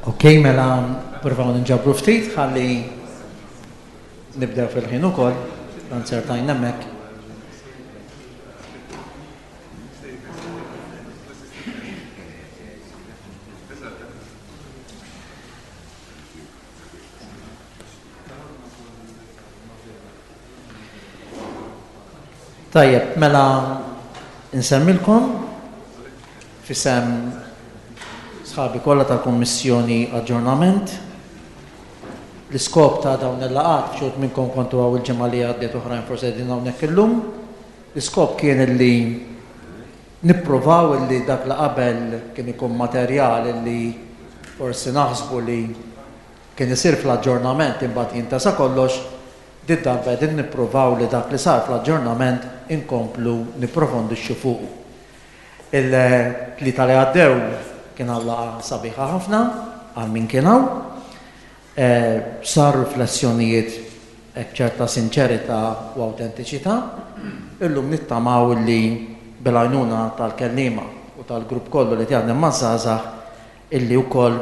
Ok, mela provaw ninġabru ftit ħalli nibdew fil-ħin ukoll, dan sertajn hemmhekk. Tajjeb, mela nsemmilkom f'isem sħabi kollha tal-Kummissjoni Aġġornament. L-iskop ta' dawn il-laqgħat, xi wħud minnkom kontu hawn il-ġimgħa li għaddiet oħrajn forsi qegħdin hawnhekk illum, l-iskop kien illi nippruvaw illi dak li qabel kien ikun materjal illi forsi naħsbu li kien isir fl-aġġornament imbagħad jintesa kollox, did-darba qegħdin nippruvaw li dak li sar fl-aġġornament inkomplu nipprofondixxu fuqu. Il-Tlieta li għaddew kien hawn laqgħa sabiħa ħafna għal min kien hawn. Saru riflessjonijiet hekk b'ċerta sinċerità u awtentiċità. Illum nittamaw li bil-għajnuna tal-kelliema u tal-grupp kollu li qed jaħdem maż-żgħażagħ illi wkoll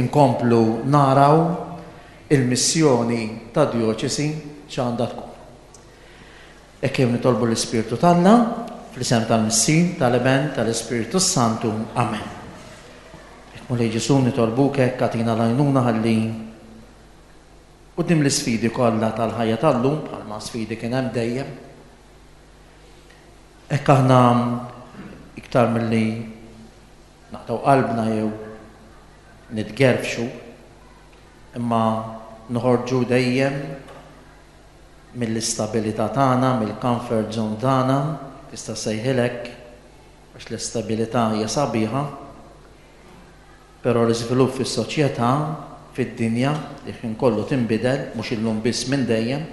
inkomplu naraw il-missjoni tad-djoċesi x'għandha tkun. Hekk jew nitolbu l-Ispirtu t'Alla, fl-isem tal-Missier, tal-Iben, tal-Ispirtu s-Santu. Amen. Hekk Mulej Ġesù nitolbuk hekk agħtina l-għajnuna ħalli quddiem l-isfidi kollha tal-ħajja tal-lum, bħalma sfidi kien hemm dejjem, hekk aħna iktar milli naqtgħu qalbna jew nitgerfxu, imma noħorġu dejjem mill-istabilità tagħna, mill-comfort zone tagħna, tista' ssejħilha hekk, għax l-istabilità hija sabiħa, però l-iżvilupp fis-soċjetà, fid-dinja, li l-ħin kollu tinbidel, mhux illum biss minn dejjem,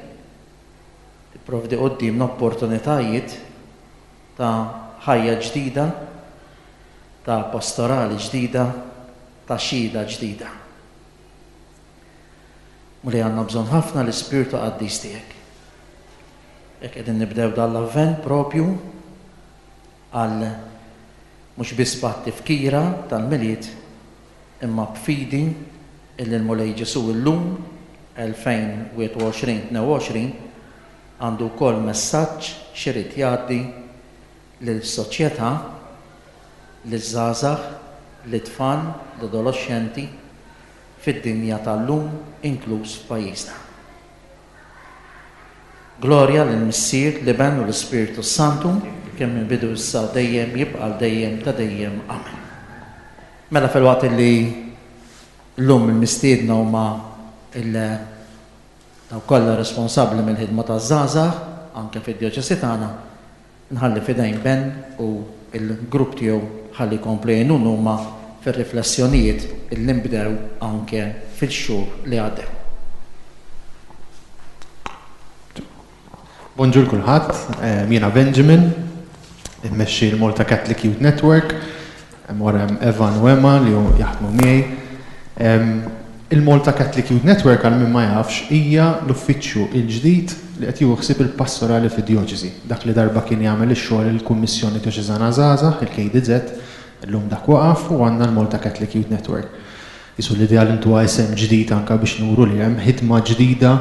tipprovdi quddiemna opportunitajiet ta' ħajja ġdida, ta' pastorali ġdida, ta' xhieda ġdida. Mulej għandna bżonn ħafna l-Ispirtu Qaddis tiegħek. Hekk qegħdin nibdew dan l-Avvent propju għal mhux biss bħat-tifkira tal-Milied imma b'fidi illi l-Mulej Ġesù illum 2021 22 għandu wkoll messaġġ x'irid jgħaddi lis-soċjetà, liż-żgħażagħ, lit-tfal, l-adoloxxenti, fid-dinja tal-lum inkluż f'pajjiżna. Glorja lill-Missier, l-Iben u l-Ispirtu s-Santu, kien mill-bidu issa u dejjem jibqa' għal dejjem ta' dejjem. Amen. Mela filwaqt li llum il-mistiedna huma il dawk kollha responsabbli mill-ħidma taż-żgħażagħ anke fid-djoċesi tagħna, Nħalli f'idejn Ben u l-grupp tiegħu ħalli jkomplu jgħinun huma fir-riflessjonijiet illi nbdew anke fil-xhur li għaddew. Bonġur kulħadd, jiena Benjamin, immexxi l-Malta Catholic Youth Network, hemm wara hemm Evan u Emma li jaħdmu miegħi. Il-Malta Catholic Youth Network, għal min ma jafx, hija l-uffiċċju l-ġdid li qed jieħu ħsieb il-pastorali fid-djoċesi. Dak li darba kien jagħmel ix-xogħol il-Kummissjoni Djoċeżana Żgħażagħ, il-KDZ, illum dak waqaf u għandna l-Malta Catholic Youth Network. Qisu l-idea li ntuha isem ġdid anke biex nuru li hemm ħidma ġdida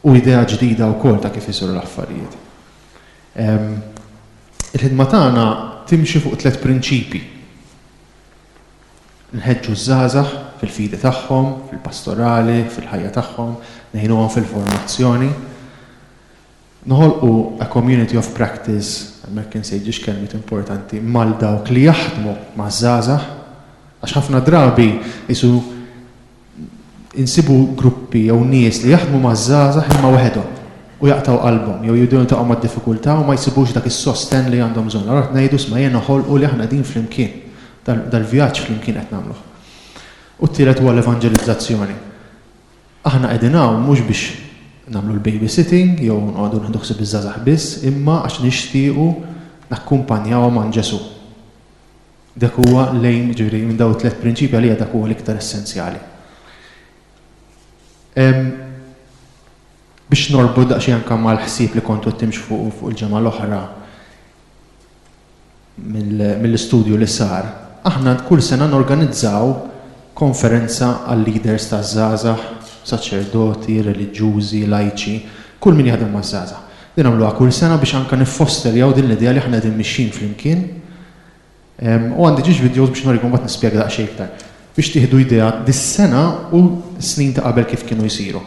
u idea ġdida wkoll ta' kif isiru l-affarijiet. Il-ħidma tagħna timxi fuq tlett prinċipji. Nħeġġu ż-żgħażagħ fil-fidi tagħhom, fil-pastorali, fil-ħajja tagħhom, ngħinuhom fil-formazzjoni. Noħolqu a community of practice, hemmhekk insejt ġiex kelmiet importanti, mal dawk li jaħdmu maż-żgħażagħ, għax ħafna drabi qisu insibu gruppi jew nies li jaħdmu maż-żgħażagħ imma waħedhom u jaqtgħu qalbhom jew jibdew jiltaqgħu ma' diffikultà u ma jsibux dak is-sostenn li għandhom bżonn. Allura qed ngħidu isma' ejja noħolqu li aħna qegħdin flimkien. Dal-vjaġġ flimkien qed nagħmluh. U t-tielet huwa l-evanġelizzazzjoni. Aħna qegħdin hawn mhux biex nagħmlu l-babysitting jew noqogħdu nieħdu ħsieb iż-żgħażagħ biss, imma għax nixtiequ nakkumpanjawhom għand Ġesù. Dak huwa l-aim, jiġifieri minn dawn it-tliet prinċipji għalija dak huwa l-iktar essenzjali. Biex norbot daqsxejn anke mal-ħsieb li kontu qed timxu fuqu fuq il-ġimgħa l-oħra mill-istudju li sar, Aħna kull sena norganizzaw konferenza għal-leaders taż-żgħażagħ, saċerdoti, reliġjużi, lajċi, kull min jaħdem maż-żgħażagħ. Din nagħmluha kull sena biex anke niffosterjaw din l-idea li aħna qegħdin mixjin flimkien. U għandi ġiex videos biex nurikom mbagħad nispjega daqsxejn iktar. Biex tieħdu idea dis-sena u snin ta' qabel kif kienu jsiru.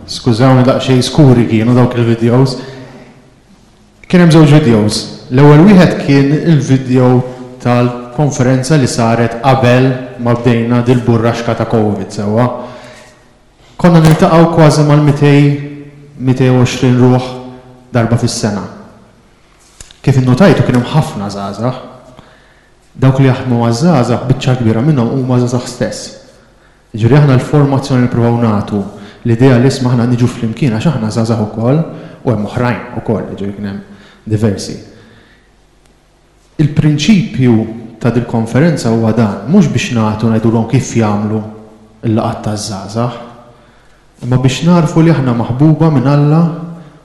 Skużawni daqsxejn skuri kienu dawk il-videos. Kien hemm żewġ videos. L-ewwel wieħed kien il-video tal-konferenza li saret qabel ma bdejna dil-burraxka ta' Covid sewwa. Konna niltaqgħu kważi mal-200 220 ruħ darba fis-sena. Kif innotajtu kien hemm ħafna żgħażagħ. Dawk li jaħdmu maż-żgħażagħ biċċa kbira minnhom huma żgħażagħ stess. Jiġifieri aħna l-formazzjoni li nippruvaw nagħtu, l-idea li isma' aħna niġu flimkien għax aħna żgħażagħ ukoll u hemm oħrajn ukoll, jiġifieri kien hemm diversi. Il-prinċipju ta' dil-konferenza huwa dan, mhux biex nagħtu ngħidulhom kif jagħmlu l-laqgħat taż-żgħażagħ, imma biex nagħrfu li aħna maħbuba minn Alla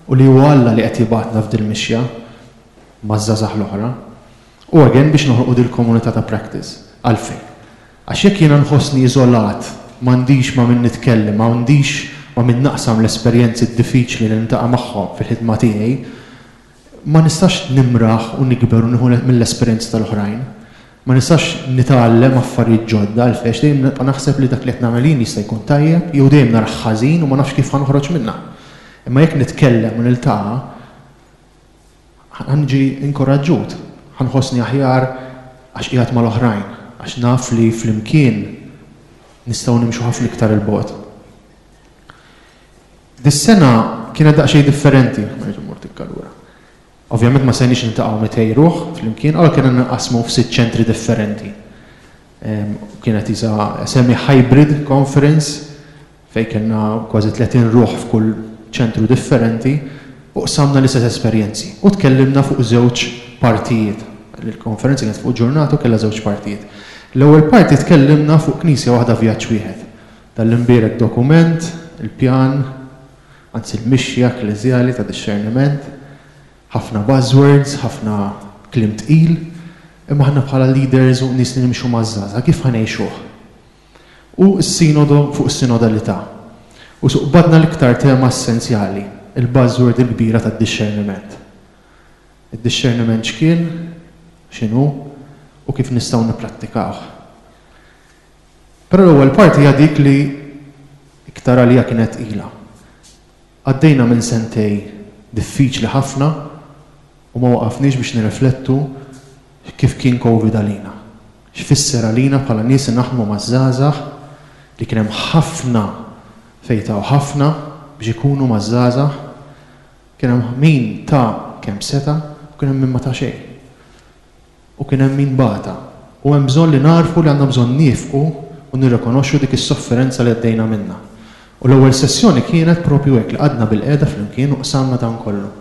u li huwa Alla li qed jibgħatna f'dil-mixja maż-żgħażagħ l-oħra. U again biex noħolqu dil-komunità ta' practice. Għalfejn? Għax jekk jiena nħossni iżolat, m'għandix ma' min nitkellem, m'għandix ma' min naqsam l-esperjenzi diffiċli li niltaqa' magħhom fil-ħidma tiegħi, ma nistax nimraħ u nikber u nieħu mill-esperjenzi tal-oħrajn. Ma nistax nitgħallem affarijiet ġodda għalfejn għax dejjem nibqa' naħseb li dak li qed nagħmel jien jista' jkun tajjeb jew dejjem narah ħażin u ma nafx kif ħa noħroġ minnha. Imma jekk nitkellem u niltaqa', Ħa niġi inkoraġġut, ħa nħossni aħjar għax qiegħed mal-oħrajn, għax naf li flimkien nistgħu nimxu ħafna iktar 'il bogħod. Dis-sena kienet daqsxejn differenti, ma rridx immur tikka lura. Ovvjament ma stajniex niltaqgħu 200 ruħ flimkien, allura kellna ninqasmu f'sitt ċentri differenti. Kienet isa semi-hybrid conference fejn kellna kważi 30 ruħ f'kull ċentru differenti u qsamna l-istess esperjenzi u tkellimna fuq żewġ partijiet. Il-konferenza kienet fuq ġurnata u kellha żewġ partijiet. L-ewwel parti tkellimna fuq Knisja waħda vjaġġ wieħed. Dan l-imbierek dokument, il-pjan, anzi l-mixja ekkleżjali ta' dixxerniment, ħafna buzzwords, ħafna kliem tqil, imma aħna bħala leaders u nies li nimxu maż-żgħażagħ kif ħa ngħixuh? U s-Sinodo fuq is-sinodalità. U suqbadna l-iktar tema essenzjali, il-buzzword il-kbira tad-dixxerniment. Id-dixxerniment x'kien, x'inhu, u kif nistgħu nipprattikawh. Però l-ewwel parti hija dik li iktar għalija kienet tqila. Għaddejna minn sentej diffiċli ħafna u ma waqafniex biex nirriflettu kif kien Covid għalina. X'fisser għalina bħala nies li naħdmu maż-żgħażagħ li kien hemm ħafna fejn taw ħafna biex ikunu maż-żgħażagħ. Kien hemm min ta kemm seta' u kien hemm min ma ta xejn. U kien hemm min bata. U hemm bżonn li nagħrfu li għandna bżonn niefqu u nirrikonoxxu dik is-sofferenza li għaddejna minnha. U l-ewwel sessjoni kienet propju hekk li qgħadna bilqiegħda flimkien u qsamna dan kollu.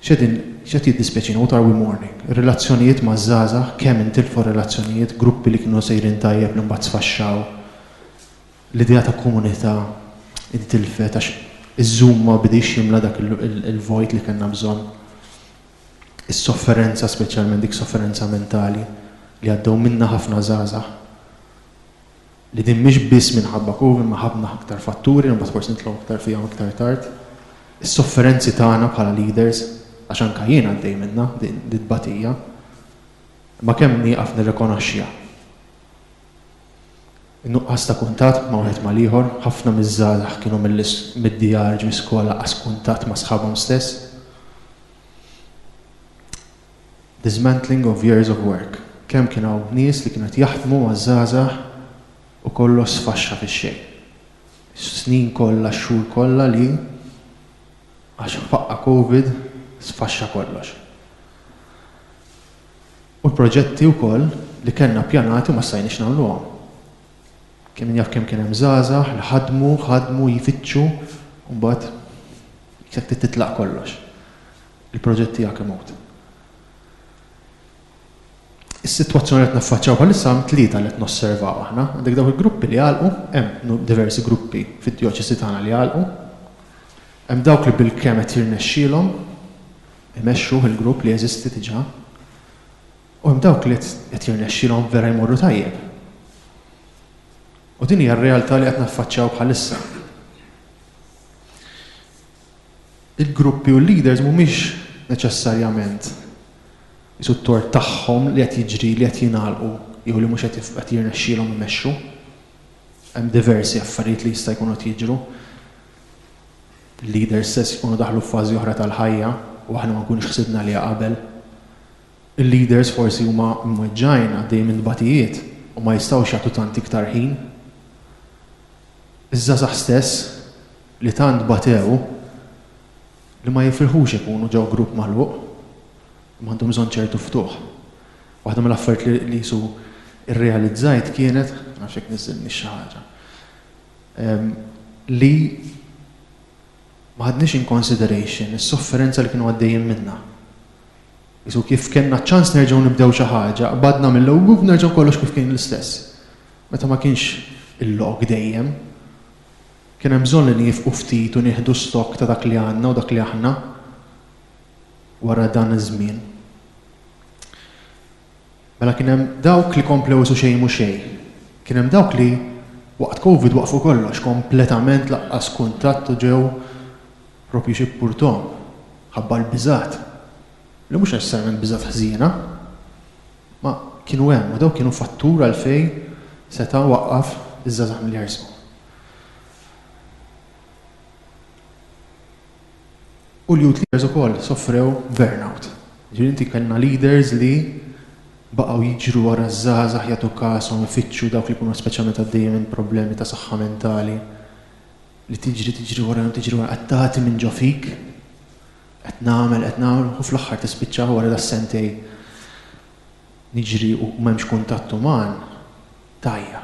X'qegħdin, x'qed jiddispjaċina, what are we mourning? Ir-relazzjonijiet maż-żgħażagħ, kemm intilfu relazzjonijiet, gruppi li kienu sejrin tajjeb li mbagħad sfaxxaw. L-idea ta' komunità intilfet għax iż-Zoom ma bidiex jimla dak il-vojt li kellna bżonn. Is-sofferenza, speċjalment dik sofferenza mentali li għaddew minnha ħafna żgħażagħ. Li din mhix biss minħabba Covid imma ħafna aktar fatturi li mbagħad forsi nidħlu aktar fihom iktar tard. Is-sofferenzi tagħna bħala leaders, għax anke jien għaddej minnha din it-tbatija, imma kemm nieqaf nirrikonoxxiha. In-nuqqas ta' kuntatt ma' wieħed mal-ieħor, ħafna miż-żgħażagħ kienu mid-djar ġie skola qas kuntatt ma' sħabhom stess. Dismantling of years of work. Kemm kien hawn nies li kienu qed jaħdmu maż-żgħażagħ u kollox sfaxxa fix-xejn. Is-snin kollha, x-xhur kollha li għax faqqa' Covid sfaxxa kollox. U l-proġetti wkoll li kellna ppjanati u ma stajniex nagħmluhom. Kemm min jaf kemm kien hemm żgħażagħ li ħadmu, ħadmu jfittxu u mbagħad jekk trid titlaq kollox. Il-proġett tiegħek imut. Is-sitwazzjoni li qed naffaċċjaw bħalissa hemm tlieta li qed nosservaw aħna. Għandek dawk il-gruppi li għalqu, hemm diversi gruppi fid-djoċesi tagħna li għalqu. Hemm dawk li bilkemm qed jirnexxielhom imexxu il-grupp li jeżisti diġà. U hemm dawk li qed jirnexxielhom vera jmorru tajjeb. U din hija r-realtà li qed naffaċċjaw bħalissa. Il-gruppi u l-leaders mhumiex neċessarjament qisu t-tort tagħhom li qed jiġri li qed jingħalqu jew li mhux qed qed jirnexxielhom imexxu. Hemm diversi affarijiet li jista' jkunu qed jiġru. Il-leaders stess jkunu daħlu f'fażi oħra tal-ħajja u aħna ma nkunux ħsibna għaliha qabel. Il-leaders forsi huma mweġġgħin għaddejjin minn tbatijiet u ma jistgħux jagħtu tant iktar ħin. Iż-żgħażagħ stess li tant batew li ma jifilħux ikunu ġo grupp magħluq, imma għandhom bżonn ċertu ftuħ. Waħda mill-affarijiet li qisu rrealizzajt kienet, ma nafx jekk niżżilniex xi ħaġa, li ma ħadniex in consideration is-sofferenza li kienu għaddejjin minnha. Qisu kif kellna ċ-ċans nerġgħu nibdew xi ħaġa, qbadna mill-ewwel nerġgħu kollox kif kien l-istess. Meta ma kienx il-lok dejjem. Kien hemm bżonn li niefqu ftit u nieħdu stock ta' dak li għandna u dak li aħna wara dan iż-żmien. Mela kien hemm dawk li komplew isu xejn mhu xejn. Kien hemm dawk li waqt Covid waqfu kollox, kompletament laqqas kuntatt u ġew propju xi purton ħabba l-biżgħat. Li mhux neċessarjament biżgħat ħżiena, ma kienu hemm u dawk kienu fattur għalfejn seta' waqqaf iż-żgħażagħ milli jersqu. U l-youth leaders ukoll soffrew burnout. Ġifieri inti kellna leaders li baqgħu jiġru wara ż-żgħażagħ jagħtu kashom ifittxu dawk li jkunu speċjalment għaddejjin minn problemi ta' saħħa mentali li tiġri tiġri warahom tiġri wara qed tagħti minn ġo fik qed nagħmel qed nagħmel u fl-aħħar tispiċċa wara das-sentejn niġri u m'hemmx kuntatt uman tgħajja.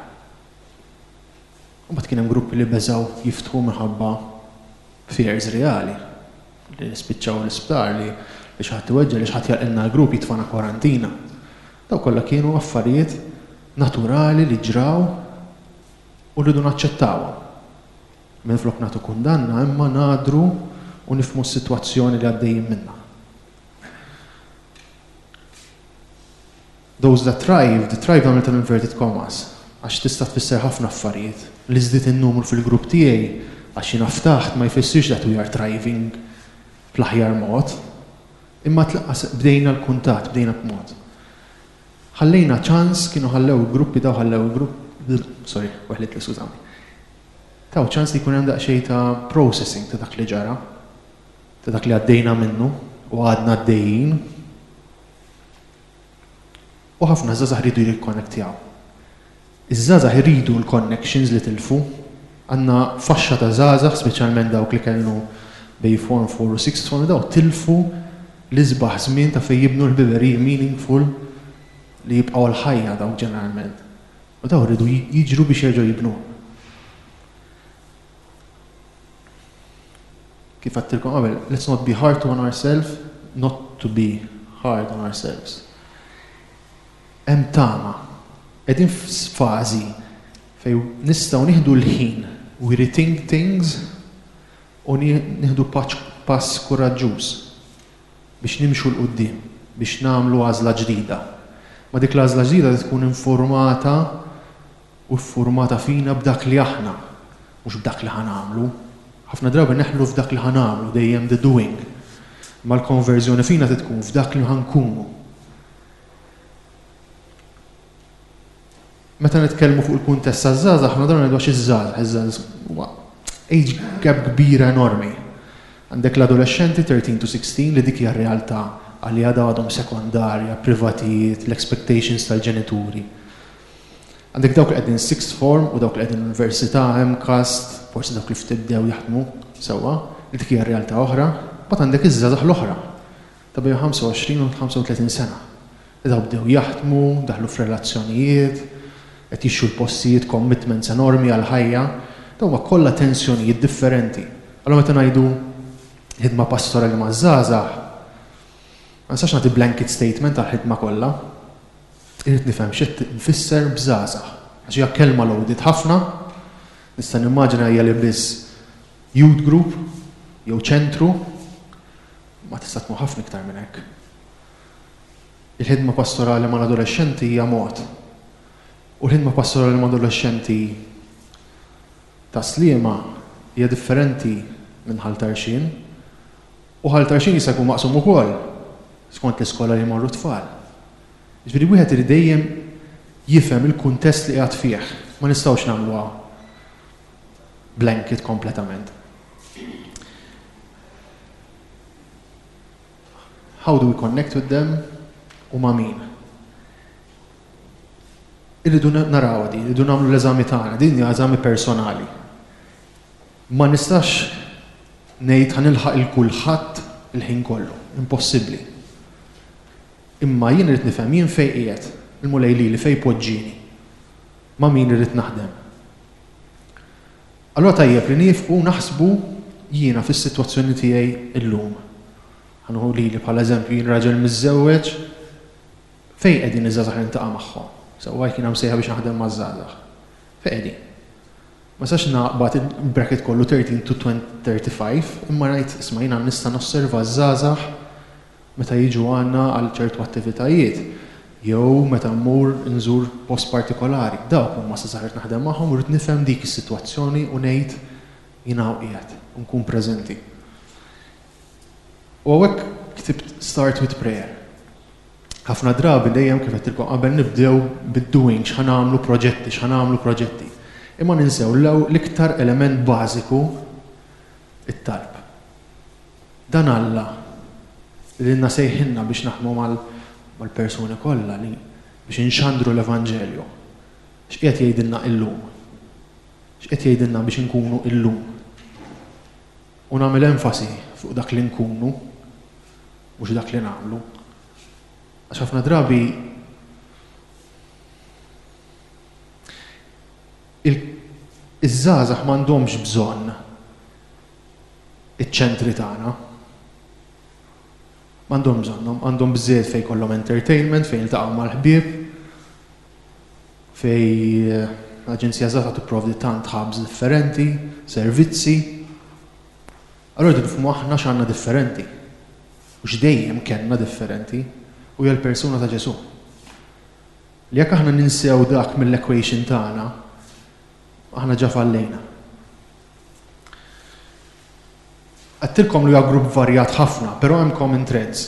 U mbagħad kien hemm gruppi li beżgħu jiftħu minħabba fears reali li nispiċċaw l-isptar, li li xi ħadd iweġġa', li xi ħadd jagħlqilna l-grupp jitfagħna kwarantina. Dawk kollha kienu affarijiet naturali li ġraw u rridu naċċettawhom. Minflok nagħtu kundanna imma ngħadru u nifhmu s-sitwazzjoni li għaddejjin minnha. Those that thrived, thrived għamiltha inverted commas, għax tista' tfisser ħafna affarijiet. Li żdied in-numru fil-grupp tiegħi għax jiena ftaħt ma jfissirx that we are thriving fl-aħjar mod. Imma tlaqqas bdejna l-kuntatt, bdejna b'mod. Ħallejna ċans, kienu ħallew il-gruppi daw ħallew il-grupp, sorry, weħlitli skużawni. Taw ċans li jkun hemm daqsxejn ta' processing ta' dak li ġara, ta' dak li għaddejna minnu u għadna għaddejjin. U ħafna żgħażagħ iridu jirrikonnettjaw. Iż-żgħażagħ iridu l-connections li tilfu. Għandna faxxa ta' żgħażagħ, speċjalment dawk li kellu bejn form 4 u sixth form, daw tilfu L-isbaħ żmien ta' fejn jibnu l-ħbiberiji meaningful li jibqgħu għall-ħajja dawk ġeneralment. U dawn riedu jiġru biex jerġgħu jibnuha. Kif għedtilkom qabel, let's not be hard on ourselves, not to be hard on ourselves. Hemm tama. Qegħdin f'fażi fejn nistgħu nieħdu l-ħin, we rethink things u nieħdu pass kuraġġuż biex nimxu 'l quddiem, biex nagħmlu għażla ġdida. Ma dik l-għażla ġdida trid tkun informata u ffurmata fina b'dak li aħna, mhux b'dak li ħa nagħmlu. Ħafna drabi neħlu f'dak li ħa nagħmlu, dejjem the doing. Imma l-konverżjoni fina trid tkun f'dak li ħa nkunu. Meta nitkellmu fuq il-kuntest taż-żgħażagħ, ħafna drabi ngħidu għax iż-żgħażagħ, iż-żgħażagħ huwa age gap kbira enormi. Għandek l-adolexxenti 13 to 16 li dik hija r-realtà għaliha dawn għadhom sekondarja, privatijiet, l-expectations tal-ġenituri. Għandek dawk li qegħdin sixth form u dawk li qegħdin università, MCAST, forsi dawk li ftit bdew jaħdmu sewwa, li dik hija realtà oħra. Mbagħad għandek iż-żgħażagħ l-oħra ta' bejn 25 u 35 sena. Li dawk bdew jaħdmu, daħlu f'relazzjonijiet, qed jixtru l-postijiet, commitments enormi għall-ħajja. Dawn huma kollha tensjonijiet differenti. Allura meta ngħidu ħidma pastorali maż-żgħażagħ, ma nistax nagħti blanket statement għall-ħidma kollha. Irrid nifhem x'qed nfisser b'żgħażagħ. Għax hija kelma loaded ħafna, nista' nimmaġina hija li biss youth group jew ċentru, ma tista' tkun ħafna iktar minn hekk. Il-ħidma pastorali mal-adolexxenti hija mod. U l-ħidma pastorali mal-adolexxenti ta' Sliema hija differenti minn Ħal Tarxien. U Ħal Tarxien jista' jkun maqsum ukoll skont l-iskola li jmorru t-tfal. Jiġifieri wieħed irid dejjem jifhem il-kuntest li qiegħed fih. Ma nistgħux nagħmluha blanket kompletament. How do we connect with them u ma' min? Irridu naraw din, irridu nagħmlu l-eżami tagħna, din hija eżami personali. Ma nistax ngħid ħa nilħaq il kulħadd il-ħin kollu, impossibbli. Imma jien irrid nifhem jien fejn qiegħed, il-Mulej lili fejn poġġieni, ma' min irrid naħdem. Allura tajjeb li niefqu u naħsbu jiena fis-sitwazzjoni tiegħi llum. Ħa nieħu lili bħala eżempju, jien raġel miżżewweġ, fejn qegħdin iż-żgħażagħ li niltaqa' magħhom? Sewwa jekk jiena msejħa biex naħdem maż-żgħażagħ. Fejn qegħdin? Ma nistax naqbad il-bracket kollu 13 to 35, imma ngħid isma' jiena nista' nosserva ż-żgħażagħ meta jiġu għandna għal ċertu attivitajiet jew meta mmur inżur post partikolari. Dawk huma żgħażagħ li rrid naħdem magħhom u rrid nifhem dik is-sitwazzjoni u ngħid jien hawn qiegħed u nkun preżenti. U hawnhekk ktibt start with prayer. Ħafna drabi dejjem kif għedtilkom qabel nibdew bid-doing, x'ħa nagħmlu proġetti, x'ħa nagħmlu proġetti. Imma ninsew l-iktar element bażiku it-talb. Dan Alla li lilna sejħilna biex naħdmu mal-persuni kollha li biex inxandru l-Evanġelju. X'qiegħed jgħidilna illum? X'qed jgħidilna biex inkunu illum? U nagħmel enfasi fuq dak li nkunu, mhux dak li nagħmlu. Għax ħafna drabi iż-żgħażagħ m'għandhomx bżonn iċ-ċentri tagħna. M'għandhomx bżonnhom, għandhom biżżejjed fejn jkollhom entertainment, fejn jiltaqgħu mal-ħbieb, fejn l-Aġenzija Żgħażagħ tipprovdi tant hubs differenti, servizzi. Allura rridu nifhmu aħna x'għandna differenti u x'dejjem kellna differenti u hija l-persuna ta' Ġesù. Li jekk aħna ninsew dak mill-equation tagħna, aħna ġa fallejna. Għedtilkom li huwa grupp varjat ħafna, però hemm common threads.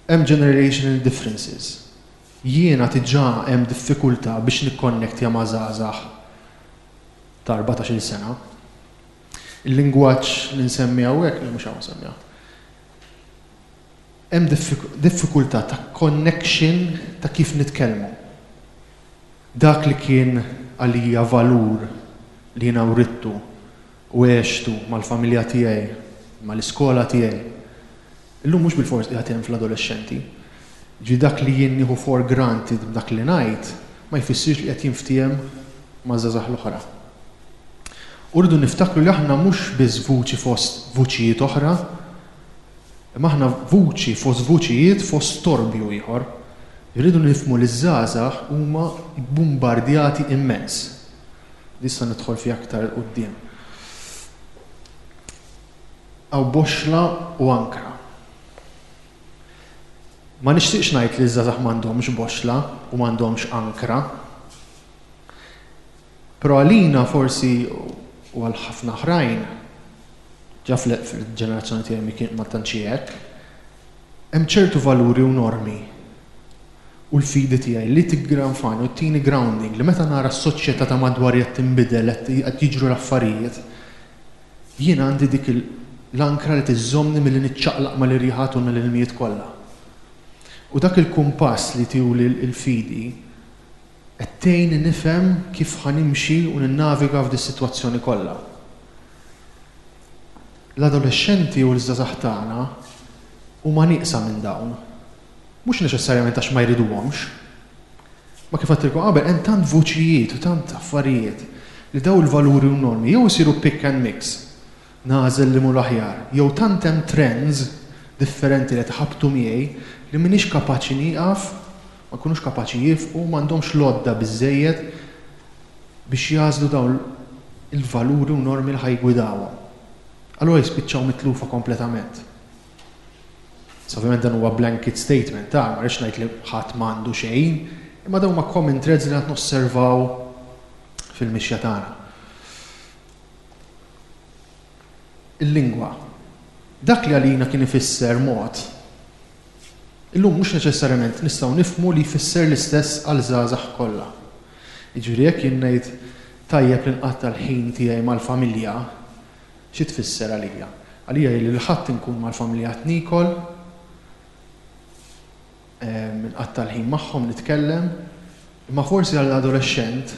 Hemm generational differences. Jiena diġà hemm diffikultà biex nikkonnektja ma' żgħażagħ ta' 14-il sena. Il-lingwaġġ li nsemmi hawnhekk, li mhux hawn nsemmiha. Hemm diffikultà ta' connection ta' kif nitkellmu. Dak li kien għalija valur li jiena writtu. u għextu mal-familja tiegħi, mal-iskola tiegħi, illum mhux bilfors qiegħed hemm fl-adolexxenti. Jiġifieri dak li jien nieħu for granted b'dak li ngħid ma jfissirx li qed jinftiehem maż-żgħażagħ l-oħra. U rridu niftakru li aħna mhux biss vuċi fost vuċijiet oħra, imma aħna vuċi fost vuċijiet fost storbju ieħor. Irridu nifhmu li ż-żgħażagħ huma bbumbardjati immens. Nista' nidħol fiha aktar 'il quddiem. Hawn boxxla u ankra. Ma nixtieqx ngħid li ż-żgħażagħ m'għandhomx boxxla u m'għandhomx ankra. Però għalina forsi u għal ħafna oħrajn, ġa fil-ġenerazzjoni tiegħi ma tantx hi hekk, hemm ċertu valuri u normi u l-fidi tiegħi li tiggranfani u ttini grounding li meta nara s-soċjetà ta' madwari qed tinbidel, qed jiġru l-affarijiet, jien għandi dik l-ankra li tiżżommni milli niċċaqlaq mal-irjiħat u mal-ilmijiet kollha. U dak il-kumpass li tihuli l-fidi qed tgħinni nifhem kif ħa nimxi u ninnaviga f'dis-sitwazzjoni kollha. L-adolexxenti u l-żgħażagħ tagħna huma nieqsa minn dawn. Mhux neċessarjament għax ma jriduhomx. Ma kif għedtilkom qabel hemm tant vuċijiet u tant affarijiet li dawn il-valuri u normi jew isiru pick and mix, nagħżel li mhu l-aħjar, jew tant hemm trends differenti li qed iħabbtu miegħi li m'iniex kapaċi nieqaf, ma jkunux kapaċi jiefqu, m'għandhomx l-għodda biżżejjed biex jagħżlu dawn il-valuri u normi li ħa jiggwidawhom. Allura jispiċċaw mitlufa kompletament. Issa ovvjament dan huwa blanket statement, ta, ma rridx ngħid li ħadd m'għandu xejn, imma dawn huma common threads li qed nosservaw fil-mixja tagħna. Il-lingwa. Dak li għalina kien ifisser mod, illum mhux neċessarjament nistgħu nifhmu li jfisser l-istess għal żgħażagħ kollha. Jiġifieri jekk jien ngħid tajjeb li nqatta' l-ħin tiegħi mal-familja, Xi tfisser għalija? Għalija hi li l-Ħadd inkun mal-familja qed niekol, nqatta' l-ħin magħhom nitkellem, imma forsi għal adolexxent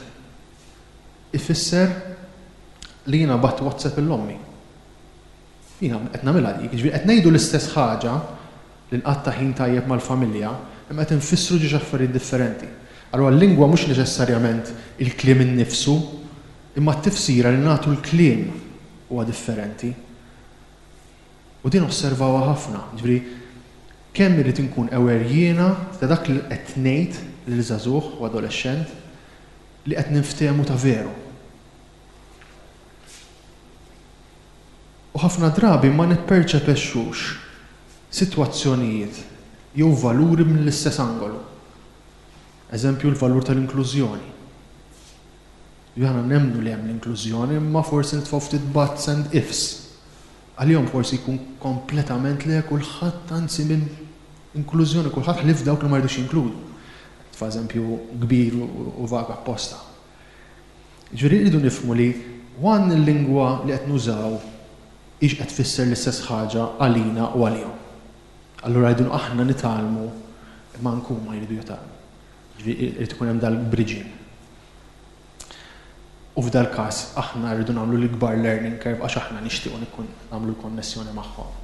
ifisser li jiena bgħatt WhatsApp lil ommi. Jiena qed nagħmilha dik, jiġifieri qed ngħidu l-istess ħaġa li nqatta' ħin tajjeb mal-familja, imma qed infissru ġiex affarijiet differenti. Allura l-lingwa mhux neċessarjament il-kliem innifsu, Imma t-tifsira li nagħtu l-kliem huwa differenti. U din osservawha ħafna, jiġifieri kemm irrid inkun aware jiena ta' dak li qed ngħid lil żagħżugħ u adolexxent li qed ninftehmu ta' veru. U ħafna drabi ma nipperċepexxux sitwazzjonijiet jew valuri mill-istess angolu. Eżempju l-valur tal-inklużjoni. Li aħna nemmnu li hemm l-inklużjoni imma forsi nitfgħu ftit buts and ifs. Għalihom forsi jkun kompletament le kulħadd anzi minn inklużjoni kulħadd ħlief dawk li ma jridux jinkludu. Nitfa' eżempju kbir u vag apposta. Jiġifieri rridu nifhmu li one il-lingwa li qed nużaw hix qed tfisser l-istess ħaġa għalina u għalihom. Allura rridu aħna nitgħallmu imma anke huma jridu jitgħallmu. Jiġifieri irid ikun hemm dal-bridging. U f'dal-każ aħna rridu nagħmlu l-ikbar learning curve għax aħna nixtiequ nagħmlu l-konnessjoni magħhom.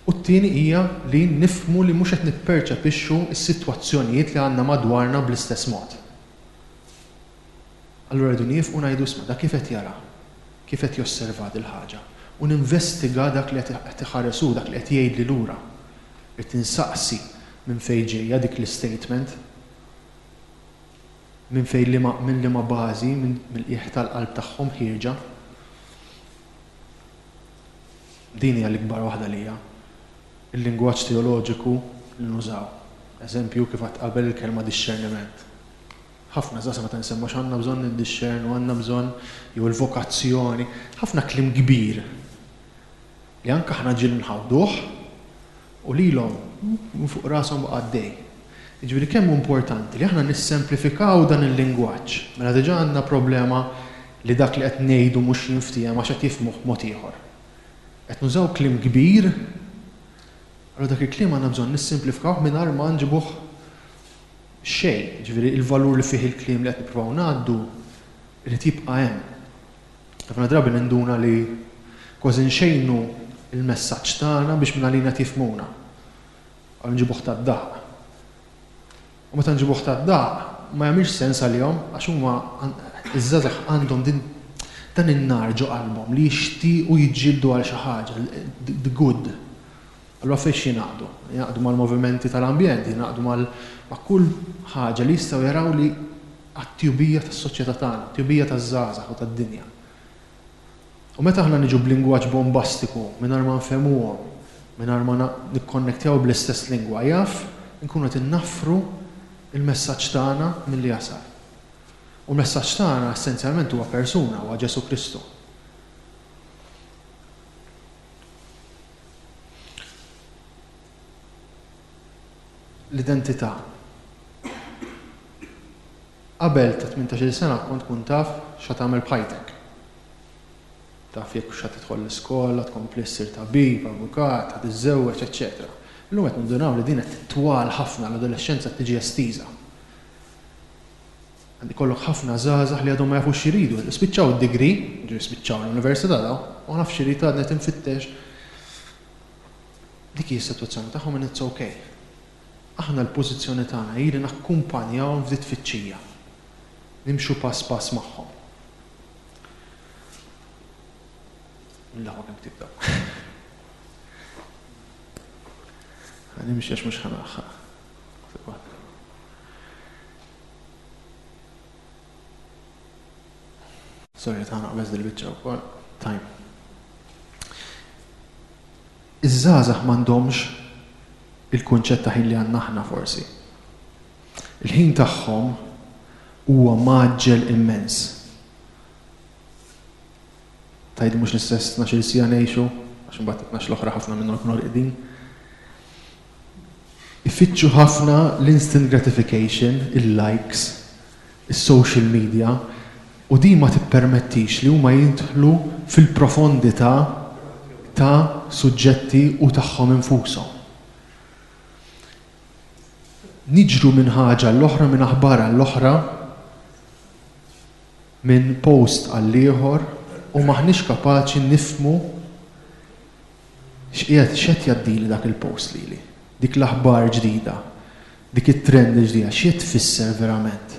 U t-tieni hija li nifhmu li mhux qed nipperċepixxu s-sitwazzjonijiet li għandna madwarna bl-istess mod. Allura rridu nieqfu ngħidu isma' dak kif qed jara, kif qed josserva dil-ħaġa u ninvestiga dak li qed iħares hu, dak li qed jgħidli lura. Irrid insaqsi minn fejn ġejja dik l-istatement. Minn fejn liema minn liema bażi, mill-qiegħ tal-qalb tagħhom ħierġa. Din hija l-ikbar waħda għalija. Il-lingwaġġ teoloġiku li nużaw. Eżempju, kif għedt qabel il-kelma dixxerniment. Ħafna żgħażagħ meta nsemmu għax għandna bżonn niddixxernu, għandna bżonn jew il-vokazzjoni, ħafna kliem kbir li anke aħna ġieli nħawduh u lilhom minn fuq rashom baqa' għaddej. Jiġifieri kemm hu importanti li aħna nissemplifikaw dan il-lingwaġġ. Mela diġà għandna problema li dak li qed ngħidu mhux jinftiehem għax qed jifhmuh b'mod ieħor. Qed nużaw kliem kbir, allura dak il-kliem għandna bżonn nissimplifikawh mingħajr ma nġibuh xejn. Jiġifieri l-valur li fih il-kliem li qed nippruvaw ngħaddu jrid jibqa' hemm. Ħafna drabi ninduna li kważi nxejnu l-messaġġ tagħna biex mingħalina qed jifhmuna. Għal nġibuh tad-daħq. U meta nġibuh tad-daħq ma jagħmilx sens għalihom għax huma iż-żgħażagħ għandhom din dan in-nar ġo qalbhom li jixtiequ jiġġieldu għal xi ħaġa, the good. Allura fiex jingħaqdu? Jingħaqdu mal-movimenti tal-ambjent, jingħaqdu mal ma' kull ħaġa li jistgħu jaraw li għat-tjubija tas-soċjetà tagħna, għat-tjubija taż-żgħażagħ u tad-dinja. U meta aħna niġu b'lingwaġġ bombastiku mingħajr ma nfehmuhom, mingħajr ma nikkonnektjaw bl-istess lingwa, jaf inkunu qed innaffru l-messaġġ tagħna milli jasal. U l-messaġġ tagħna essenzjalment huwa persuna, huwa Ġesù Kristu. L-identità. Qabel ta' 18-il sena kont tkun taf x'ha tagħmel b'ħajtek. Taf jekk hux ħa tidħol l-iskola, tkompli ssir tabib, avukat, ħa tiżżewweġ, eċċetera. Illum qed nindunaw li din qed titwal ħafna, l-adolexxenza qed tiġi estiża. Għad ikollok ħafna żgħażagħ li għadhom ma jafux x'iridu. Spiċċaw id-degree, jiġifieri spiċċaw l-università dawn, u ma nafx x'irid għadni qed infittex. Dik hi s-sitwazzjoni tagħhom and it's okay. Aħna l-pożizzjoni tagħna hi li nakkumpanjawhom f'di tfittxija. Nimxu pass pass magħhom. Mill-aħwa kemm ktibt hawn. Ħa nimxi għax mhux ħa nilħaq. Sorry, ta' naqbeż dil-biċċa wkoll. Time. Iż-żgħażagħ m'għandhomx il-kunċett ta' ħin li għandna aħna forsi. Il-ħin tagħhom huwa mgħaġġel immens. Tgħid mhux l-istess 12-il siegħa ngħixu, għax imbagħad it-tnax l-oħra ħafna minnhom ikunu rqidin. Ifittxu ħafna l-instant gratification, il-likes, is-social media, u din ma tippermettix li huma jidħlu fil-profondità ta' suġġetti u tagħhom infushom. Niġru minn ħaġa għall-oħra, minn aħbar għall-oħra, minn post għall-ieħor u m'aħniex kapaċi nifhmu X'qiegħed, x'qed jgħaddili dak il-post lili? Dik l-aħbar ġdida, dik it-trend il-ġdida, x'qed tfisser verament?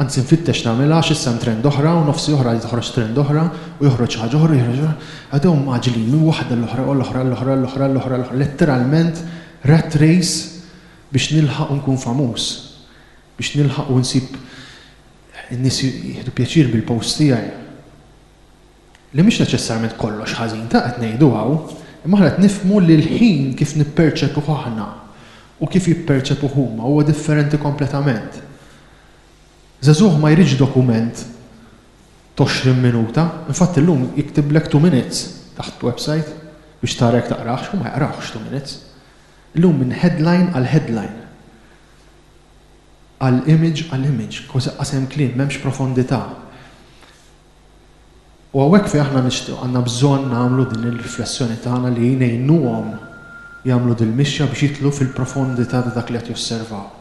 Anzi nfittex nagħmilha għax issa hemm trend oħra u nofsi oħra toħroġ trend oħra u joħroġ xi ħaġa oħra u joħroġ oħra. Għadew mgħaġġlin minn waħda l-oħra u l-oħra l-oħra l-oħra l-oħra l-oħra. Letteralment rat race biex nilħaq u nkun famuż. Biex nilħaq u nsib in-nies jieħdu pjaċir bil-post tiegħi. Li mhix neċessarjament kollox ħażin ta' qed ngħidu hawn, imma aħna qed nifhmu li l-ħin kif nipperċepuh aħna u kif jipperċepuh huma huwa differenti kompletament. Żagħżugħ ma jridx dokument t'għoxrin minuta, infatti llum jiktiblek two minutes taħt website biex tara jekk taqrahx, hu ma jaqrahx two minutes. Illum minn headline għal headline. Għal image għal image, kważi qas hemm kliem, m'hemmx profondità. U hawnhekk fejn aħna nixtiequ għandna bżonn nagħmlu din ir-riflessjoni tagħna li ngħinuhom jagħmlu dil-mixja biex jidħlu fil-profondità ta' dak li qed josservaw.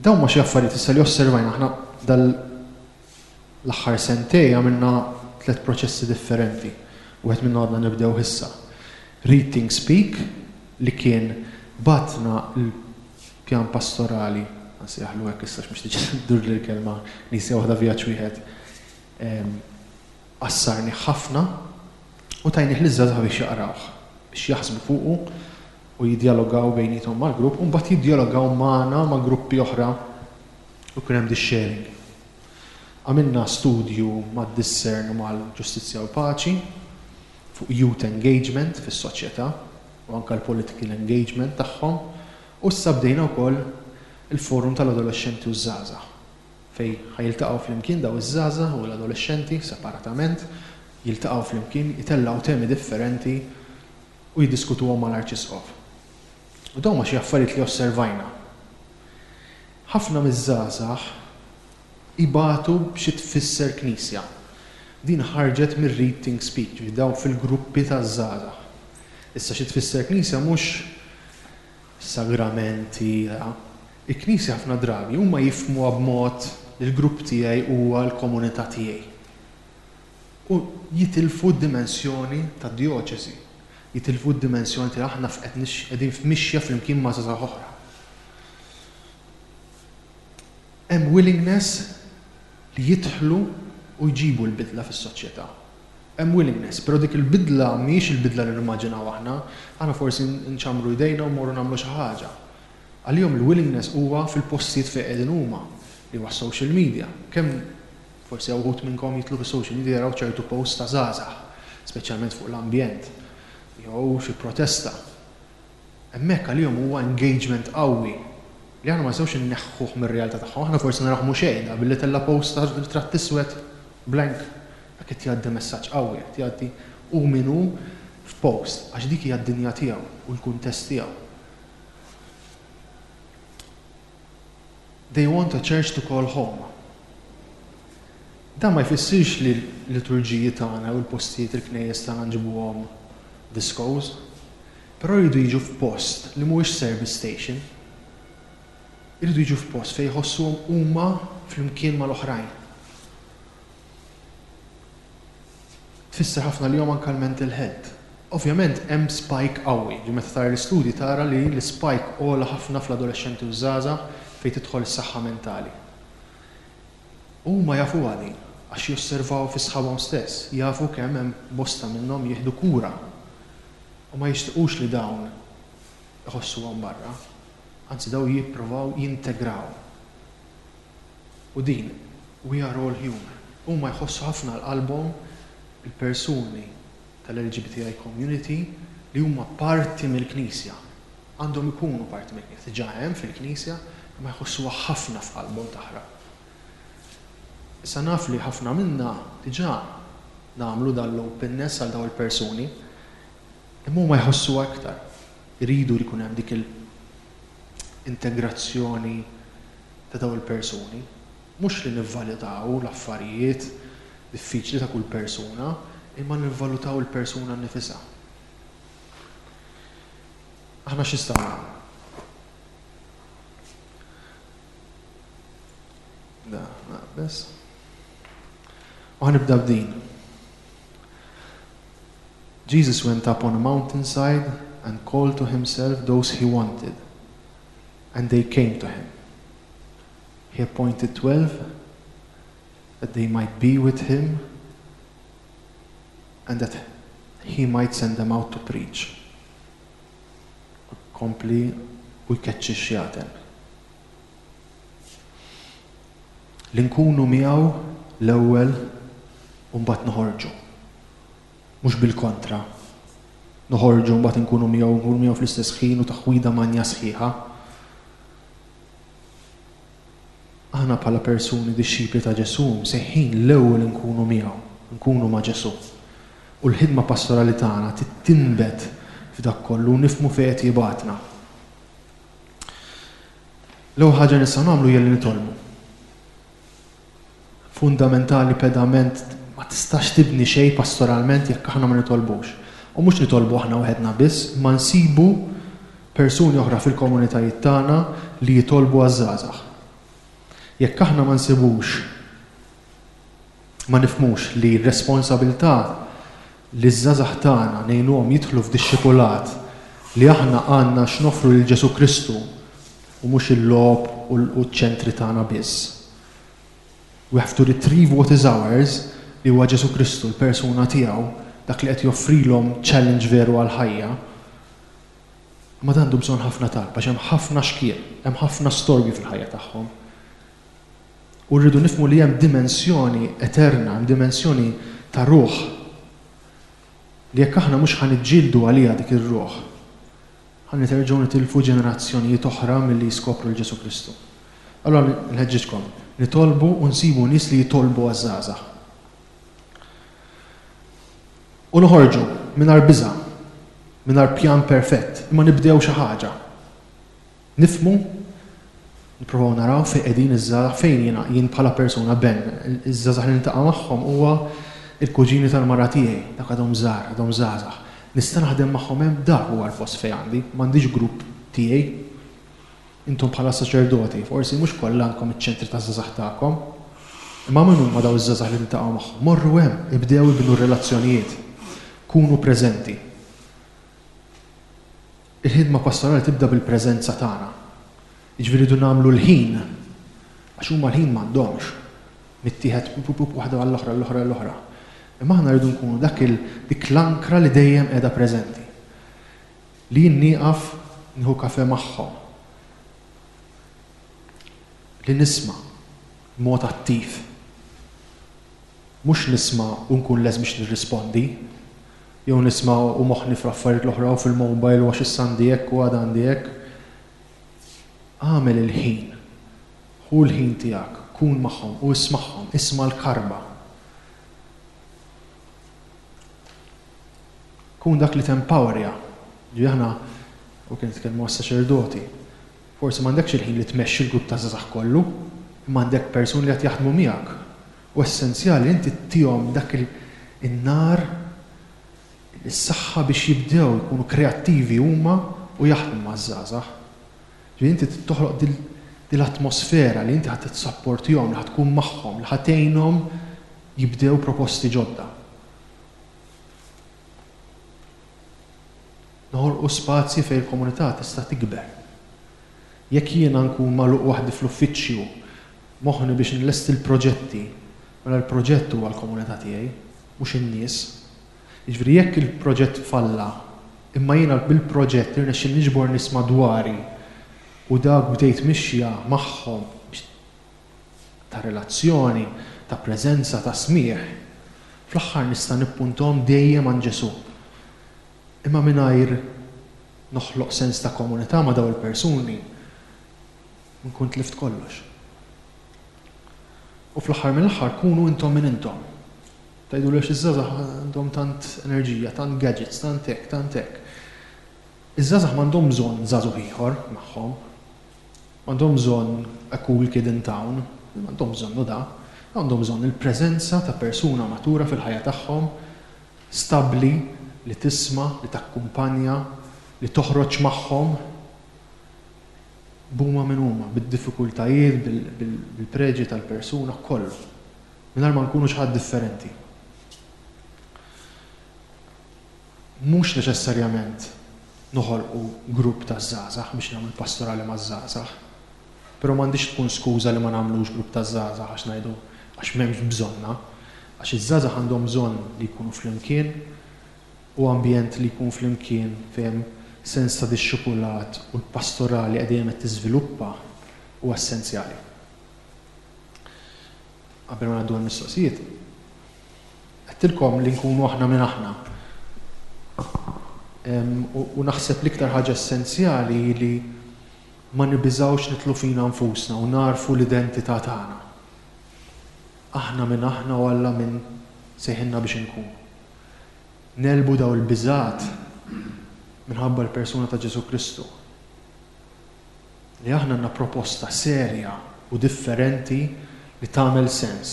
Dawn huma xi affarijiet issa li osservajna aħna dal L-aħħar sentej għamilna tlett proċessi differenti. Wieħed minnhom għadna nibdewh issa. Read Think Speak li kien bagħatna l-pjan pastorali, ħa nsejjaħlu hekk issa għax mhux tiġi ddurli l-kelma knisja waħda vjaġġ wieħed, qassarnih ħafna u tajnih liż-żgħażagħ biex jaqrawh, biex jaħsbu fuqu u jiddjalogaw bejniethom mal-grupp u mbagħad jiddjalogaw magħna ma' gruppi oħra u jkun hemm this-sharing. Għamilna studju mad-Discern u mal-Ġustizzja u l-Paċi fuq youth engagement fis-soċjetà u anke l-political engagement tagħhom u issa bdejna wkoll il-Forum tal-Adolexxenti u ż-Żgħażagħ fejn ħa jiltaqgħu flimkien dawn iż-żgħażagħ u l-adolexxenti separatament, jiltaqgħu flimkien, jtellgħu temi differenti u jiddiskutuhom mal-Arċisqof. U dawn huma xi affarijiet li osservajna. Ħafna miż-żgħażagħ ibatu b'xi tfisser Knisja. Din ħarġet mir-Read Think Speak, ġifieri dawn fil-gruppi taż-żgħażagħ. Issa xi tfisser Knisja mhux sagramenti, Il-Knisja ħafna drabi huma jifhmuha b'mod li l-grupp tiegħi huwa l-komunità tiegħi. U jitilfu d-dimensjoni tad-djoċesi. Jitilfu d-dimensjoni ta' aħna qegħdin f'mixja flimkien ma' żgħażagħ oħra. Hemm willingness li jidħlu u jġibu l-bidla fis-soċjetà. Hemm willingness, però dik il-bidla mhijiex il-bidla li nimmaġinaw aħna. Aħna forsi nċammru jdejna u mmorru nagħmlu xi ħaġa. Għalihom il-willingness huwa fil-postijiet fejn qegħdin huma, li huwa s-social media. Kemm forsi hawn uħud minnkom jidħlu fis-social media jaraw ċertu posts ta' żgħażagħ, speċjalment fuq l-ambjent, jew xi protesta. Hemmhekk għalihom huwa engagement qawwi li aħna ma nistgħux inneħħuh mir-realtà tagħhom. Aħna forsi narawh mhu xejn da billi tella' post ta' ritratt iswed blank. Dak qed jgħaddi messaġġ qawwi, qed jgħaddi hu min hu f'post għax dik hija d-dinja tiegħu u l-kuntest tiegħu. They want a church to call home. Dan ma jfissirx li l-liturġiji tagħna u l-postijiet il-knejjes tagħna nġibuhom discos, però jridu jiġu f'post li mhuwiex service station. Iridu jiġu f'post fejn jħossuhom huma flimkien mal-oħrajn. Tfisser ħafna għalihom anke l-mental health. Ovvjament hemm spike qawwi, ġifieri meta tara l-istudji tara li l-ispike ogħla ħafna fl-adolexxenti u ż-żgħażagħ fejn tidħol is-saħħa mentali. Huma jafuha din għax josservaw fi sħabhom stess, jafu kemm hemm bosta minnhom jieħdu kura u ma jixtiqux li dawn iħossuhom barra, anzi dawn jipprovaw jintegraw. U din, we are all human. Huma jħossu ħafna għal qalbhom il-persuni tal-LGBTI community li huma parti mill-Knisja. Għandhom ikunu parti mill-Knisja. Diġà hemm fil-Knisja, imma jħossuha ħafna f'qalbhom taħraq. Issa naf li ħafna minna diġà nagħmlu dan l-openness għal dawn il-persuni, imma huma jħossuha iktar. Iridu li jkun hemm dik il-integrazzjoni ta' dawn il-persuni. Mhux li nivvalutaw l-affarijiet diffiċli ta' kull persuna, imma nivvalutaw il-persuna nnifisha. Aħna x'nistgħu nagħmlu? Da, naqbeż. U ħa nibda b'din. Jesus went up on a mountainside and called to himself those he wanted, and they came to him. He appointed 12 that they might be with him and that he might send them out to preach. Kompli u jkeċċi x-xjaten. Li nkunu miegħu l-ewwel u mbagħad noħorġu. Mhux bil-kontra. Noħorġu mbagħad inkunu miegħu, nkunu miegħu fl-istess ħin u taħwida manja sħiħa. Aħna bħala persuni dixxipli ta' Ġesù msejħin l-ewwel inkunu miegħu, nkunu ma' Ġesù. U l-ħidma pastorali tagħna trid tinbet f'dak kollu u nifhmu fejn qed jibgħatna. L-ewwel ħaġa li nistgħu nagħmlu hija li nitolbu. Fundamentali pedament ma tistax tibni xejn pastoralment jekk aħna ma nitolbux. U mhux nitolbu aħna waħedna biss, imma nsibu persuni oħra fil-komunitajiet tagħna li jitolbu għaż-żgħażagħ. Jekk aħna ma nsibux ma nifhmux li r-responsabilità li ż-żgħażagħ tagħna ngħinuhom jidħlu f'dixxipulat li aħna għandna x'noffru lil Ġesù Kristu u mhux il-logħob u ċ-ċentri tagħna biss. We have to retrieve what is ours li huwa Ġesù Kristu, l-persuna tiegħu, dak li qed joffrilhom challenge veru għall-ħajja. Imma dan għandu bżonn ħafna talb għax hemm ħafna xkiel, hemm ħafna storbju fil-ħajja tagħhom. U rridu nifhmu li hemm dimensjoni eterna, hemm dimensjoni ta' ruħ li jekk aħna mhux ħa niġġieldu għaliha dik ir-ruħ, ħa niterġgħu nitilfu ġenerazzjonijiet oħra milli jiskopru 'l Ġesù Kristu. Allura nħeġġiġkom, nitolbu u nsibu nies li jitolbu għaż-żgħażagħ. U noħorġu mingħajr biża', mingħajr pjan perfett, imma nibdew xi ħaġa. Nifhmu, nipprovaw naraw fejn qegħdin iż-żgħażagħ, fejn jiena, jien bħala persuna, Ben, iż-żgħażagħ li niltaqa' magħhom huwa l-kuġini tal-mara tiegħi, dawk għadhom żgħar, għadhom żgħażagħ. Nista' naħdem magħhom hemm, dak huwa l-post fejn għandi, m'għandix grupp tiegħi. Intom bħala saċerdoti, forsi mhux kollha għandkom iċ-ċentri taż-żgħażagħ tagħkom. Imma min huma dawn iż-żgħażagħ li tiltaqgħu magħhom? Morru hemm, ibdew ibnu r-relazzjonijiet. Kunu preżenti. Il-ħidma pastorali tibda bil-preżenza tagħna. Jiġifieri rridu nagħmlu l-ħin, għax huma l-ħin m'għandhomx. Mittieħed pup pup waħda għall-oħra, l-oħra, l-oħra. Imma aħna rridu nkunu dak il dik l-ankra li dejjem qiegħda preżenti. Li jien nieqaf nieħu kafè magħhom. Li nisma' b'mod attiv. Mhux nisma' u nkun lest biex nirrispondi. Jew nisma' u moħħni fl-affarijiet l-oħra u fil-mobile u għax issa għandi hekk u għada għandi hekk. Agħmel il-ħin. Ħu l-ħin tiegħek, kun magħhom u ismagħhom, isma' l-karba. Kun dak li tempowerja. Ġifieri aħna, u kien nitkellmu għas-saċerdoti, forsi m'għandekx il-ħin li tmexxi l-grupp ta' żgħażagħ kollu, imma għandek persuni li qed jaħdmu miegħek. U essenzjali inti ttihom dak in-nar, is-saħħa biex jibdew ikunu kreattivi huma u jaħdmu maż-żgħażagħ. Ġifieri inti trid toħloq din l-atmosfera li inti ħa tissapportihom, li ħa tkun magħhom, li ħa tgħinhom jibdew proposti ġodda. Noħolqu spazji fejn il-komunità tista' tikber. Jekk jiena nkun magħluq waħdi fl-uffiċċju, moħħni biex nlesti l-proġetti, mela l-proġett huwa l-komunità tiegħi, mhux in-nies. Jiġifieri jekk il-proġett falla, imma jiena bil-proġett irnexxieli niġbor nies madwari u dak bdejt mixja magħhom ta' relazzjoni, ta' preżenza, ta' smigħ, fl-aħħar nista' nippuntahom dejjem għand Ġesù. Imma mingħajr noħloq sens ta' komunità ma' dawn il-persuni, nkun tlift kollox. U fl-aħħar mill-aħħar kunu intom min intom. Tgħiduli għax iż-żgħażagħ għandhom tant enerġija, tant gadgets, tant hekk, tant hekk. Iż-żgħażagħ m'għandhom bżonn żagħżugħ ieħor magħhom. M'għandhom bżonn a cool kid in town, m'għandhom bżonnu da. Għandhom bżonn il-preżenza ta' persuna matura fil-ħajja tagħhom, stabbli, li tisma', li takkumpanja, li toħroġ magħhom. B'huma min huma, bid-diffikultajiet, bil-preġji tal-persuna, kollu. Mingħajr ma nkunu xi ħadd differenti. Mhux neċessarjament noħolqu grupp ta' żgħażagħ biex nagħmlu pastorali maż-żgħażagħ. Però m'għandhiex tkun skuża li ma nagħmlux grupp ta' żgħażagħ għax ngħidu għax m'hemmx bżonnha. Għax iż-żgħażagħ għandhom bżonn li jkunu flimkien u ambjent li jkun flimkien fejn hemm sens ta' dixxipulat u l-pastorali qed dejjem qed tiżviluppa huwa essenzjali. Qabel ma ngħaddu għall-mistoqsijiet, għedtilkom li nkunu aħna min aħna. U naħseb l-iktar ħaġa essenzjali hi li ma nibiżgħux nidħlu fina nfusna u nagħrfu l-identità tagħna. Aħna min aħna u Alla min sejħilna biex inkunu. Negħlbu dawn il-biżgħat minħabba l-persuna ta' Ġesù Kristu. Li aħna għandna proposta serja u differenti li tagħmel sens.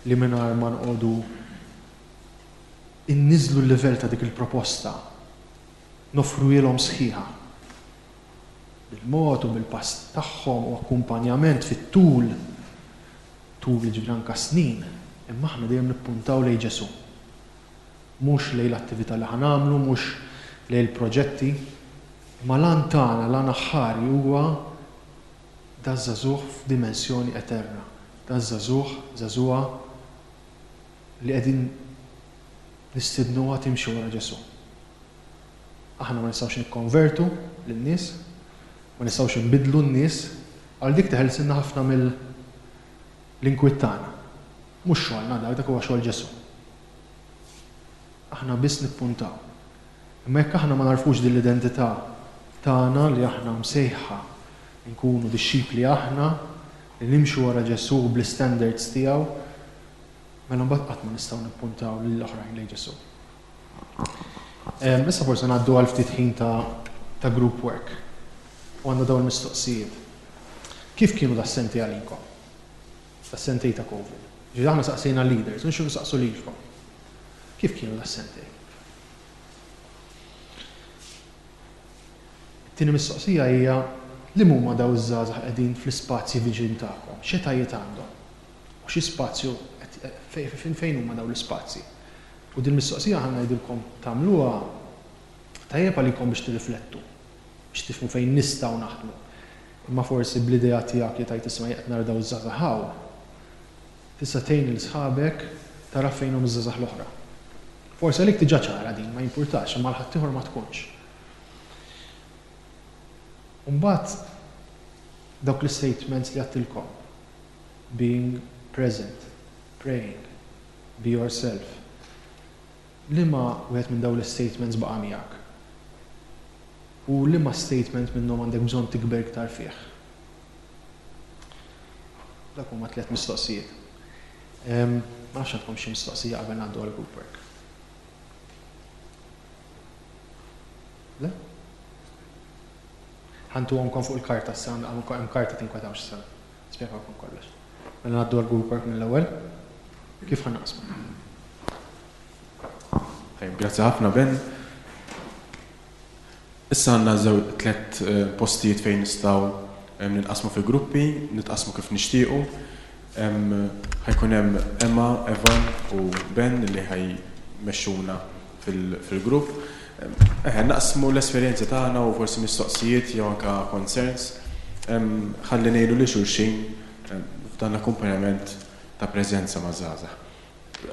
Li mingħajr ma noqogħdu inniżżlu l-livell ta' dik il-proposta, noffruhielhom sħiħa. Bil-mod u bil-pass tagħhom u akkumpanjament fit-tul, tul jiġifieri anke snin, imma aħna dejjem nippuntaw lejn Ġesù. Mhux lejn l-attività li ħa nagħmlu, mhux lejn il-proġetti, imma l-għan tagħna, l-għan aħħari huwa daż-żagħżugħ f'dimensjoni eterna, daż-żagħżugħ, żagħżugħa li qegħdin nistidnuha timxi wara Ġesù. Aħna ma nistgħux nikkonvertu lin-nies, ma nistgħux inbiddlu n-nies, għal dik teħelsilna ħafna mill-inkwiet tagħna. Mhux xogħolna dak, dak huwa xogħol Ġesù. Aħna biss nippuntaw. Imma jekk aħna ma nagħrfux din l-identità tagħna li aħna msejħa nkunu dixxipli aħna, li nimxu wara Ġesù bl-istandards tiegħu, mela mbagħad qatt ma nistgħu nippuntaw lill-oħrajn lejn Ġesù. Issa forsi ngħaddu għal ftit ħin ta', ta group work. U għandna dawn il-mistoqsijiet. Kif kienu das-sentej għalikom? Das-sentej ta' Covid. Ġifieri aħna saqsejna leaders, u nixtiequ nsaqsu lilkom. Kif kienu das-sentej? It-tieni mistoqsija hija. Liema huma dawn iż-żgħażagħ qegħdin fl-ispazji viċin tagħkom? X'etajiet għandhom? U xi spazju qed fejn huma dawn l-ispazji? U din il-mistoqsija ħa ngħidilkom tagħmluha tajjeb għalikom biex tirriflettu, biex tifhmu fejn nistgħu naħdmu. Imma forsi bl-idea tiegħek li tgħid isma' jien qed nara dawn iż-żgħażagħ hawn, tista' tgħin lil sħabek tara fejn huma ż-żgħażagħ l-oħra. Forsi għalik diġà ċara din, ma jimpurtax, imma għal ħaddieħor ma tkunx. U mbagħad dawk l-istatements li għedtilkom, being present, praying, be yourself. Liema wieħed minn dawn l-istatements baqa' miegħek? U liema statement minnhom għandek bżonn tikber iktar fih? Dak huma tlett mistoqsijiet. Ma nafx għandkom xi mistoqsija qabel ngħaddu għal group work. Le? Ħantuhomkom fuq il-karta issa, hemm karta tinkwetawx issa. Nispjegawlkom kollox. Mela ngħaddu għal group work mill-ewwel. Kif ħa naqsmu? Tajjeb, grazzi ħafna Ben. Issa għandna żew tlett postijiet fejn nistgħu ninqasmu fi gruppi, nitqasmu kif nixtiequ. Ħa jkun hemm Emma, Evan u Ben li ħa jmexxuna fil-grupp. Eħe, naqsmu l-esperjenzi tagħna u forsi mistoqsijiet jew anke concerns ħalli ngħinu lil xulxin f'dan l-akkumpanjament ta' preżenza maż-żgħażagħ.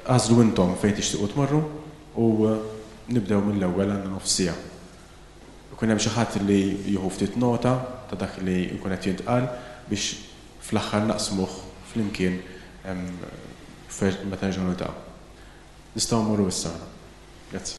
Agħżlu intom fejn tixtiequ tmorru u nibdew mill-ewwel għandna nofs siegħa. Ikun hemm xi ħadd li jieħu ftit nota ta' dak li jkun qed jintqal biex fl-aħħar naqsmuh flimkien meta nerġgħu niltaqgħu. Nistgħu mmorru issa aħna. Grazzi.